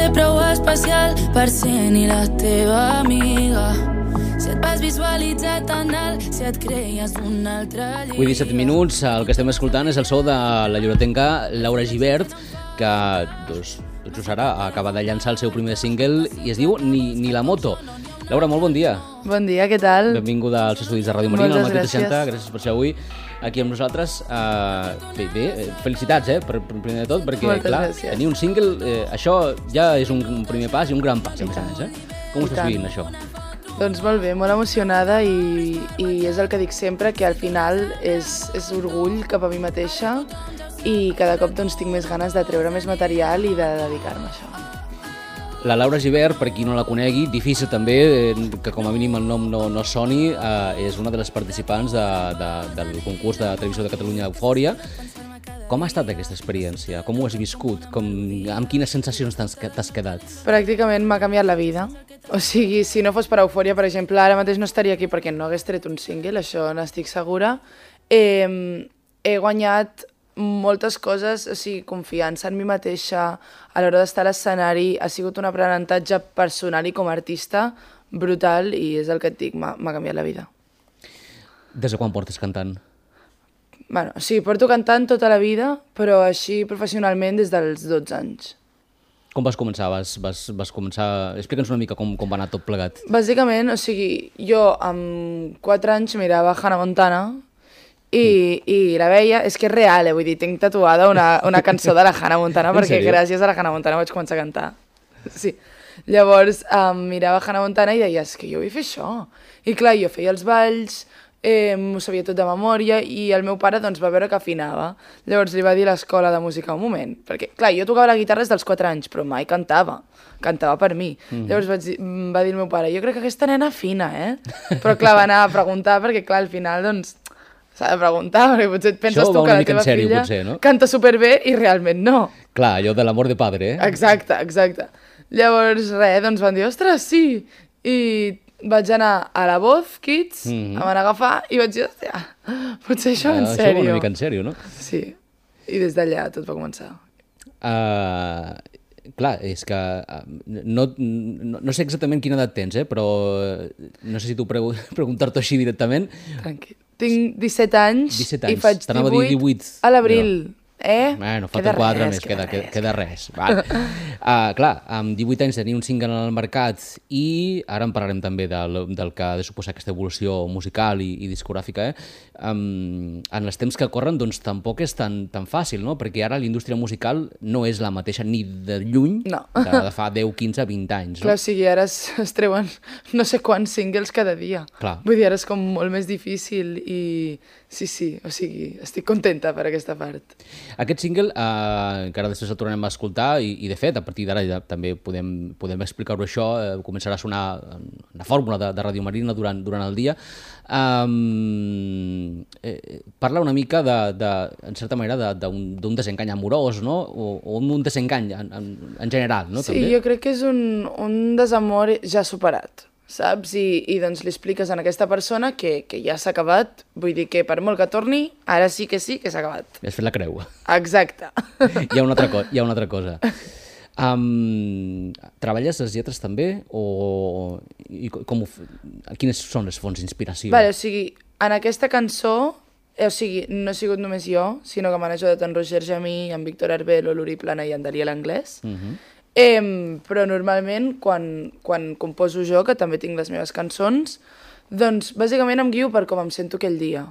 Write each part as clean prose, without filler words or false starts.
ser prou especial per ser ni la teva amiga. Si et vas visualitzar tan alt, si et creies un altre llibre. Avui 17 minuts, el que estem escoltant és el so de la lloretenca Laura Gibert, que tot just ara acaba de llançar el seu primer single i es diu Ni la moto. Laura, molt bon dia. Bon dia, què tal? Benvinguda als estudis de Ràdio Marina, al Matí 60. Gràcies per ser avui aquí amb nosaltres. Felicitats, primer de tot, perquè, clar, tenir un single, això ja és un primer pas i un gran pas, a més a més. Com ho estàs vivint, això? Doncs molt bé, molt emocionada i és el que dic sempre, que al final és orgull cap a mi mateixa i cada cop doncs, tinc més ganes de treure més material i de dedicar-me a això. La Laura Gibert, per qui no la conegui, difícil també, que com a mínim el nom no soni, és una de les participants del concurs de televisió de Catalunya Eufòria. Com ha estat aquesta experiència? Com ho has viscut? Amb quines sensacions t'has quedat? Pràcticament m'ha canviat la vida. O sigui, si no fos per Eufòria, per exemple, ara mateix no estaria aquí perquè no hagués tret un single, això n'estic segura. He guanyat moltes coses, o sigui, confiança en mi mateixa, a l'hora d'estar a l'escenari, ha sigut un aprenentatge personal i com a artista brutal i és el que et dic, m'ha canviat la vida. Des de quan portes cantant? Bueno, sí, porto cantant tota la vida, però així professionalment des dels 12 anys. Com vas començar? Vas començar... Explica'ns una mica com va anar tot plegat. Bàsicament, o sigui, jo amb 4 anys mirava Hannah Montana i la veia, és que és real, vull dir, tinc tatuada una cançó de la Hannah Montana perquè gràcies a la Hannah Montana vaig començar a cantar. Sí. Llavors mirava Hannah Montana i deia, és que jo vull fer això. I clar, jo feia els balls, m'ho sabia tot de memòria i el meu pare doncs, va veure que afinava. Llavors li va dir a l'escola de música un moment, perquè clar, jo tocava la guitarra des dels 4 anys, però mai cantava per mi. Llavors va dir el meu pare, jo crec que aquesta nena afina, Però clar, va anar a preguntar perquè clar, al final doncs s'ha de preguntar, perquè potser et penses tu que la teva filla canta superbé i realment no. Clar, allò de l'amor de padre, Exacte. Llavors res, doncs van dir, ostres, sí, i vaig anar a la Voz Kids, em van agafar i vaig dir, hòstia, potser això en sèrio. Això una mica en sèrio, no? Sí, i des d'allà tot va començar. Clar, és que no sé exactament quina edat tens, però no sé si t'ho preguntar-t'ho així directament. Tranquil. Tinc 17 anys i faig 18 a l'abril. Bueno, falten 4 més, queda res. Clar, amb 18 anys tenir un single en el mercat i ara en parlarem també del que ha de suposar aquesta evolució musical i discogràfica. En els temps que corren doncs tampoc és tan fàcil, no? Perquè ara la indústria musical no és la mateixa ni de lluny de fa 10, 15, 20 anys. Clar, o sigui, ara es treuen no sé quants singles cada dia. Vull dir, ara és com molt més difícil i sí, o sigui, estic contenta per aquesta part. Aquest single, que ara després el tornem a escoltar i de fet, a partir d'ara ja també podem explicar-ho això, començarà a sonar una fórmula de Ràdio Marina durant el dia. Parla una mica, en certa manera, d'un desengany amorós, no? O un desengany en general, no? Sí, jo crec que és un desamor ja superat, saps? I doncs li expliques a aquesta persona que ja s'ha acabat, vull dir que per molt que torni, ara sí que s'ha acabat. Has fet la creu. Exacte. Hi ha una altra cosa. Treballes les lletres també? Quines són les fonts d'inspiració? O sigui, en aquesta cançó, no he sigut només jo, sinó que m'han ajudat en Roger Jamí, en Víctor Arbelo, l'Uri Plana i en Daniel Anglès. Però normalment, quan composo jo, que també tinc les meves cançons, doncs bàsicament em guio per com em sento aquell dia.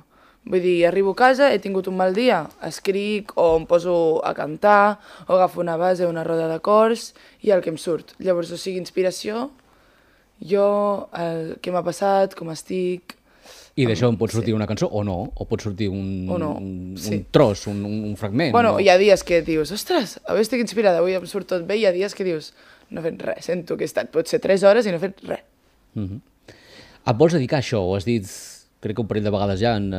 Vull dir, arribo a casa, he tingut un mal dia, escric o em poso a cantar o agafo una base o una roda d'acords i el que em surt. Llavors, o sigui, inspiració, jo, el que m'ha passat, com estic... I d'això em pot sortir una cançó o no? O pot sortir un tros, un fragment? Bueno, hi ha dies que dius, ostres, avui estic inspirada, avui em surt tot bé, i hi ha dies que dius, no he fet res, sento que he estat potser 3 hores i no he fet res. Et vols dedicar a això o has dit... Crec que un parell de vegades ja en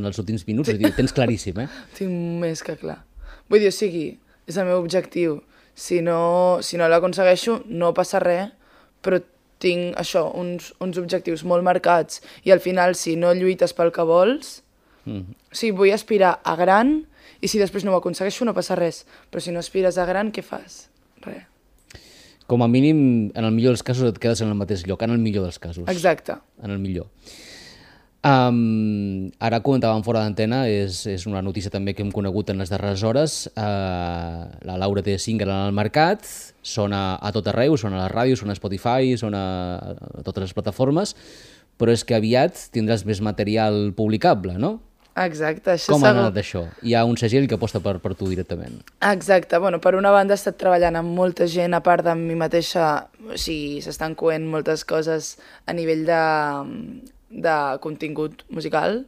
els últims minuts, tens claríssim, Tinc més que clar. Vull dir, o sigui, és el meu objectiu. Si no l'aconsegueixo, no passa res, però tinc això, uns objectius molt marcats i al final, si no lluites pel que vols, o sigui, vull aspirar a gran i si després no ho aconsegueixo no passa res, però si no aspires a gran, què fas? Res. Com a mínim, en el millor dels casos et quedes en el mateix lloc, en el millor dels casos. Exacte. En el millor. Ara comentàvem fora d'antena, és una notícia també que hem conegut en les darreres hores. La Laura té single en el mercat, sona a tot arreu, sona a la ràdio, sona a Spotify, sona a totes les plataformes, però és que aviat tindràs més material publicable, no? Exacte, això com ha anat això? Hi ha un segell que aposta per tu directament. Exacte, bueno, per una banda he estat treballant amb molta gent, a part de mi mateixa, o sigui, s'estan coent moltes coses a nivell de contingut musical,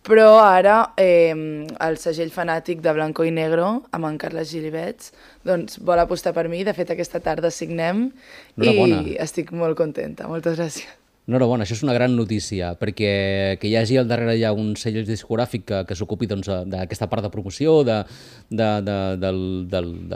però ara el segell fanàtic de Blanco i Negro, amb en Carles Gilibets, doncs vol apostar per mi. De fet, aquesta tarda signem i estic molt contenta. Moltes gràcies. Enhorabona, això és una gran notícia, perquè que hi hagi al darrere ja un segell discogràfic que s'ocupi d'aquesta part de promoció, de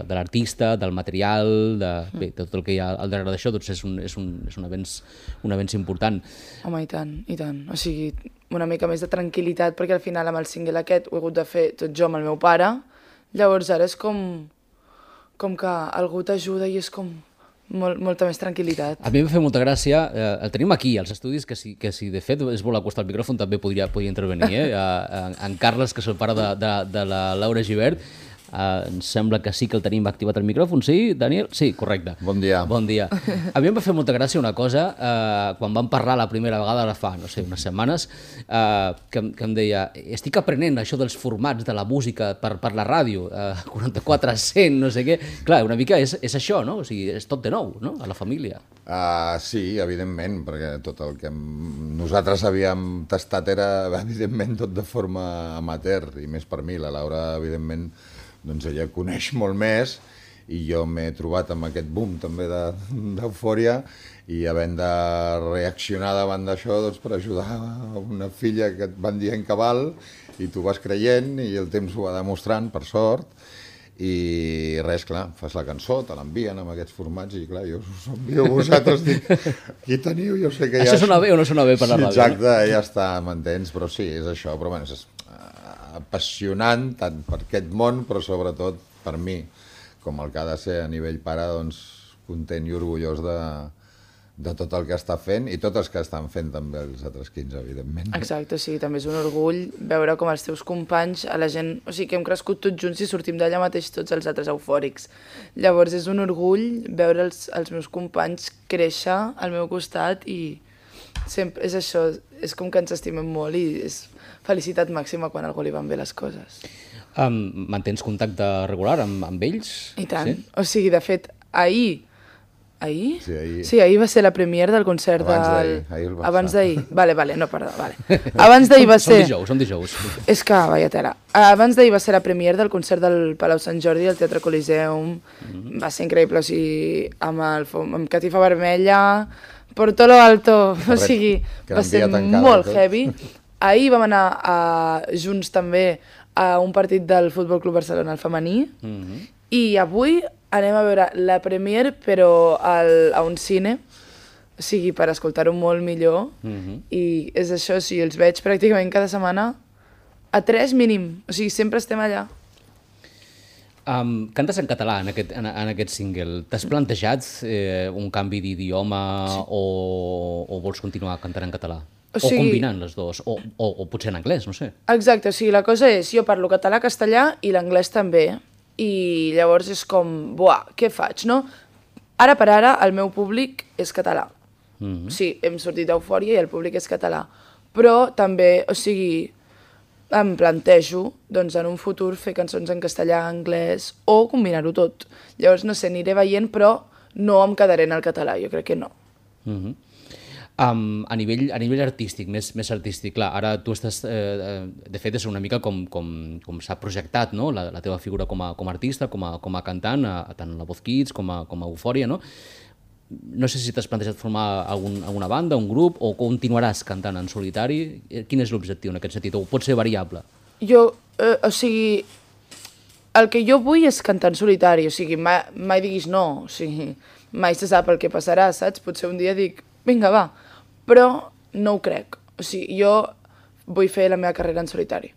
l'artista, del material, de tot el que hi ha al darrere d'això, doncs és un avenç important. Home, i tant, i tant. O sigui, una mica més de tranquil·litat, perquè al final amb el single aquest ho he hagut de fer tot jo amb el meu pare, llavors ara és com que algú t'ajuda i és com molta més tranquil·litat. A mi em fa molta gràcia, el tenim aquí, als estudis, que si de fet es vol acostar al micròfon també podria intervenir, en Carles, que és el pare de la Laura Gibert, em sembla que sí que el tenim activat el micròfon, sí, Daniel? Sí, correcte. Bon dia. Bon dia. A mi em va fer molta gràcia una cosa, quan vam parlar la primera vegada, ara fa, no sé, unes setmanes, que em deia, estic aprenent això dels formats de la música per la ràdio, 44 a 100, no sé què. Clar, una mica és això, no? O sigui, és tot de nou, no?, a la família. Sí, evidentment, perquè tot el que nosaltres havíem tastat era, evidentment, tot de forma amateur, i més per mi. La Laura, evidentment, doncs ella coneix molt més i jo m'he trobat amb aquest boom també d'eufòria i havent de reaccionar davant d'això doncs, per ajudar una filla que et van dient que val i tu vas creient i el temps ho va demostrant, per sort, i res, clar, fas la cançó, te l'envien amb aquests formats i clar, jo us envio a vosaltres, dic, aquí teniu, jo sé que ja... Això sona bé o no sona bé per la ràdio? Exacte, ja està, m'entens, però sí, és això, però bueno, és apassionant tant per aquest món, però sobretot per mi, com el que ha de ser a nivell pare, doncs content i orgullós de tot el que està fent i tots els que estan fent també els altres 15, evidentment. Exacte, sí, també és un orgull veure com els teus companys, a la gent, o sigui, que hem crescut tots junts i sortim d'allà mateix tots els altres eufòrics. Llavors és un orgull veure els meus companys créixer al meu costat i sempre és això, és com que ens estimem molt i és felicitat màxima quan a algú li van bé les coses. Mantens contacte regular amb ells? I tant. Sí? O sigui, de fet, ahir? Sí, ahir. Sí, ahir va ser la premiere del concert Abans d'ahir. Vale, no, perdó, vale. Abans d'ahir va ser... Som dijous. És que, vaya tela. Abans d'ahir va ser la premiere del concert del Palau Sant Jordi al Teatre Coliseum. Va ser increïble, o sigui, amb catifa vermella, por todo lo alto, o sigui, va ser molt heavy. Ahir vam anar junts també a un partit del Futbol Club Barcelona, el femení, i avui anem a veure la premiere, però a un cine, o sigui, per escoltar-ho molt millor, i és això, o sigui, els veig pràcticament cada setmana a 3 mínim, o sigui, sempre estem allà. Cantes en català en aquest single. T'has plantejat un canvi d'idioma o vols continuar cantant en català? O combinant les dues, o potser en anglès, no sé. Exacte, o sigui, la cosa és, jo parlo català, castellà i l'anglès també, i llavors és com, buah, què faig, no? Ara per ara el meu públic és català. Sí, hem sortit d'Eufòria i el públic és català, però també, o sigui, em plantejo, doncs, en un futur fer cançons en castellà, anglès, o combinar-ho tot. Llavors, no sé, aniré veient, però no em quedaré en el català, jo crec que no. A nivell artístic, més artístic, clar, ara tu estàs, de fet, és una mica com s'ha projectat, no?, la teva figura com a artista, com a cantant, tant a la Voz Kids com a Eufòria, no? No sé si t'has plantejat formar alguna banda, un grup, o continuaràs cantant en solitari. Quin és l'objectiu en aquest sentit? O pot ser variable? Jo, o sigui, el que jo vull és cantar en solitari, o sigui, mai diguis no, o sigui, mai se sap el que passarà, saps? Potser un dia dic, vinga, va, però no ho crec. O sigui, jo vull fer la meva carrera en solitari.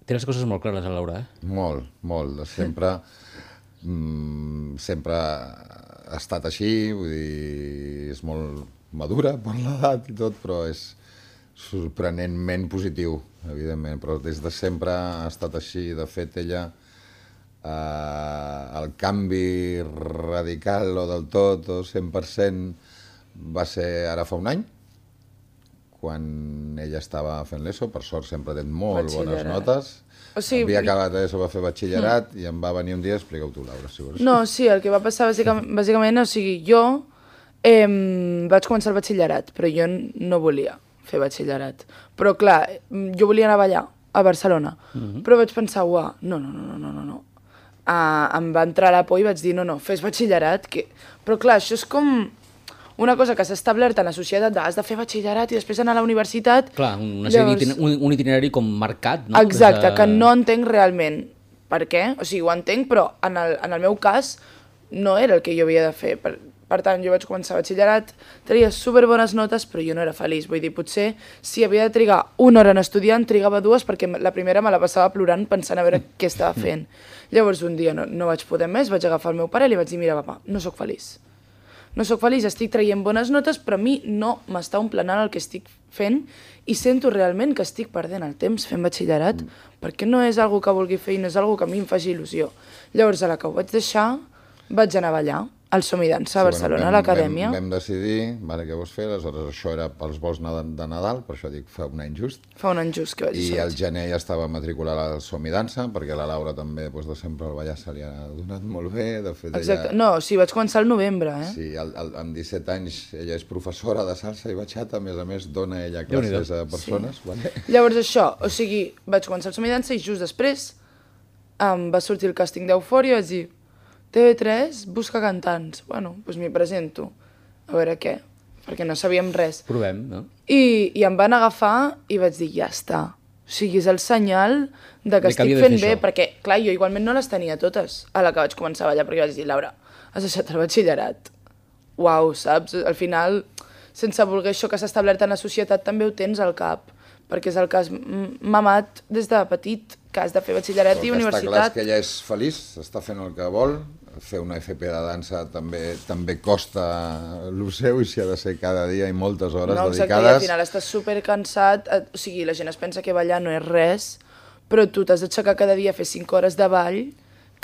Té les coses molt clares, Laura, eh? Molt, molt. Sempre sempre ha estat així, vull dir, és molt madura per l'edat i tot, però és sorprenentment positiu, evidentment, però des de sempre ha estat així. De fet, ella, el canvi radical o del tot, o 100%, va ser ara fa un any, quan ella estava fent l'ESO, per sort sempre ha tret molt bones notes. O sigui, havia acabat l'ESO, va fer batxillerat i em va venir un dia, explica-ho tu, Laura, si vols. No, sí, el que va passar bàsicament, o sigui, jo vaig començar el batxillerat, però jo no volia fer batxillerat. Però clar, jo volia anar a ballar a Barcelona, però vaig pensar, uah, no. Em va entrar la por i vaig dir, no, fes batxillerat. Però clar, això és com una cosa que s'ha establert en la societat, has de fer batxillerat i després anar a la universitat. Clar, un itinerari com marcat, no? Exacte, que no entenc realment per què, o sigui, ho entenc, però en el meu cas no era el que jo havia de fer. Per tant, jo vaig començar batxillerat, tenia superbones notes, però jo no era feliç. Vull dir, potser si havia de trigar una hora en estudiar, en trigava 2, perquè la primera me la passava plorant pensant a veure què estava fent. Llavors, un dia no vaig poder més, vaig agafar el meu pare i li vaig dir, mira, papa, no sóc feliç. No sóc feliç, estic traient bones notes, però a mi no m'està omplenant el que estic fent i sento realment que estic perdent el temps fent batxillerat perquè no és algo que vulgui fer i no és algo que a mi em faci il·lusió. Llavors, a la que ho vaig deixar, vaig anar a ballar al Som i Dansa a Barcelona, a l'acadèmia. Vam decidir, què vols fer, aleshores això era pels vols de Nadal, per això dic fa un any just. Fa un any just que vaig I al gener ja estava matriculat al Som i Dansa, perquè la Laura també, de sempre el ballar se li ha donat molt bé. De fet, exacte, no, sí, vaig començar al novembre, Sí, amb 17 anys ella és professora de salsa i batxata, a més dona ella classes a persones. Llavors això, o sigui, vaig començar al Som i Dansa i just després va sortir el càsting d'Eufòria i vaig dir, TV3 busca cantants. Bueno, doncs m'hi presento. A veure què, perquè no sabíem res. Provem, no? I em van agafar i vaig dir, ja està. O sigui, és el senyal de que estic fent bé, perquè, clar, jo igualment no les tenia totes a la que vaig començar a ballar, perquè vaig dir, Laura, has deixat el batxillerat. Uau, saps? Al final, sense voler això que s'ha establert en la societat, també ho tens al cap, perquè és el que has mamat des de petit, que has de fer batxillerat i universitat. Està clar que ella és feliç, està fent el que vol, fer una FP de dansa també costa el seu i s'hi ha de ser cada dia i moltes hores dedicades. No, exacte, i al final estàs supercansat, o sigui, la gent es pensa que ballar no és res, però tu t'has d'aixecar cada dia a fer 5 hores de ball,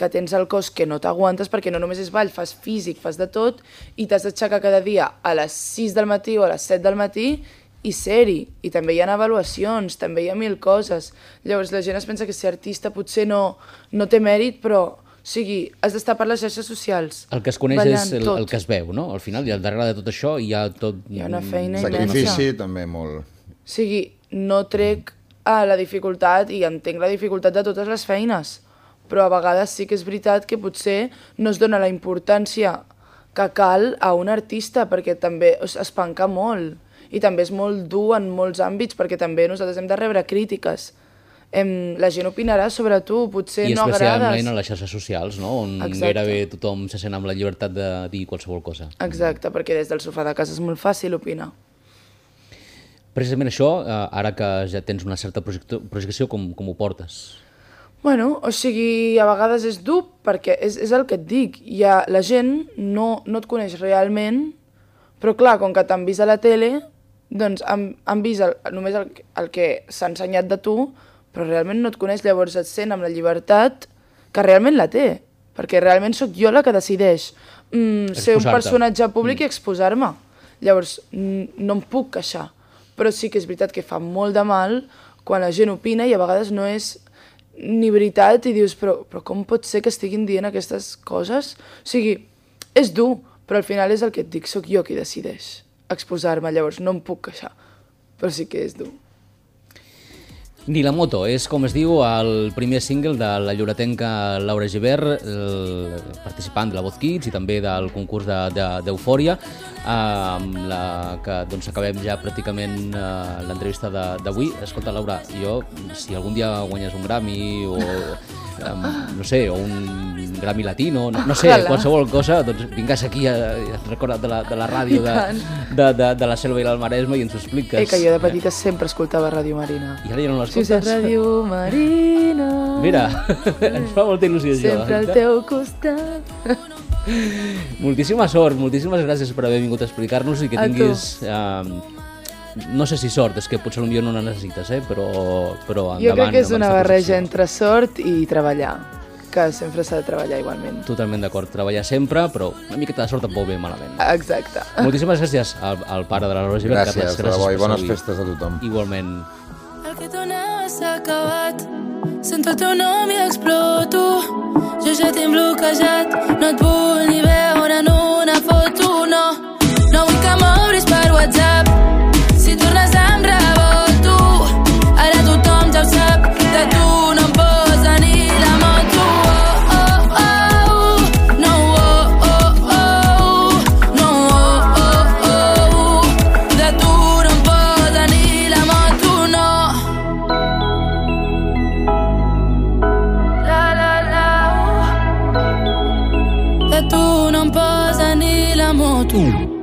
que tens el cos que no t'aguantes, perquè no només és ball, fas físic, fas de tot, i t'has d'aixecar cada dia a les 6 del matí o a les 7 del matí i ser-hi. I també hi ha avaluacions, també hi ha 1000 coses. Llavors la gent es pensa que ser artista potser no té mèrit, però o sigui, has d'estar per les xarxes socials. El que es coneix és el que es veu, no? Al final, i al darrere de tot això hi ha tot... Hi ha una feina immensa. Sacrifici també molt. O sigui, no trec a la dificultat i entenc la dificultat de totes les feines, però a vegades sí que és veritat que potser no es dona la importància que cal a un artista, perquè també es penca molt i també és molt dur en molts àmbits, perquè també nosaltres hem de rebre crítiques. La gent opinarà sobre tu, potser no agrades. I especialment a les xarxes socials, no? On gairebé tothom se sent amb la llibertat de dir qualsevol cosa. Exacte, perquè des del sofà de casa és molt fàcil opinar. Precisament això, ara que ja tens una certa projecció, com ho portes? Bueno, o sigui, a vegades és dur, perquè és el que et dic. La gent no et coneix realment, però clar, com que t'han vist a la tele, doncs han vist només el que s'ha ensenyat de tu, però realment no et coneix, llavors et sent amb la llibertat que realment la té, perquè realment sóc jo la que decideix ser un personatge públic i exposar-me. Llavors no em puc queixar, però sí que és veritat que fa molt de mal quan la gent opina i a vegades no és ni veritat i dius, però com pot ser que estiguin dient aquestes coses? O sigui, és dur, però al final és el que et dic, sóc jo qui decideix exposar-me, llavors no em puc queixar, però sí que és dur. Ni la moto és, com es diu, el primer single de la lloretenca Laura Gibert, participant de la Voz Kids i també del concurs d'Eufòria, amb la que acabem ja pràcticament l'entrevista d'avui. Escolta, Laura, jo, si algun dia guanyes un Grammy o no sé, o un Grammy Latino, no sé, qualsevol cosa, doncs vingues aquí a recordar de la ràdio de la Selva i el Maresme i ens ho expliques. Que jo de petita sempre escoltava Ràdio Marina. I ara ja no l'escoltes? Sí, Ràdio Marina. Mira, ens fa molta il·lusió això. Sempre al teu costat. Moltíssima sort, moltíssimes gràcies per haver vingut a explicar-nos i que tinguis... no sé si sort, és que potser potser no la necessites, però endavant. Jo crec que és una barreja entre sort i treballar, que sempre s'ha de treballar igualment. Totalment d'acord, treballar sempre, però una miqueta de sort tampoc ve malament. Exacte. Moltíssimes gràcies al pare de la Laura Gibert. Gràcies, Carles, i bones festes a tothom. Igualment. El que donava s'ha acabat, sento el teu nom i exploto. Jo ja tinc bloquejat, no et vull ni veure en una foto, no. No vull que m'obris per WhatsApp, si tornes em revolto. Ara tothom ja ho sap, de tu no em posa ni la moto. Oh, oh, oh, no, oh, oh, oh, no, oh, oh, oh, de tu no em posa ni la moto, no. La, la, la, de tu no em posa ni la moto.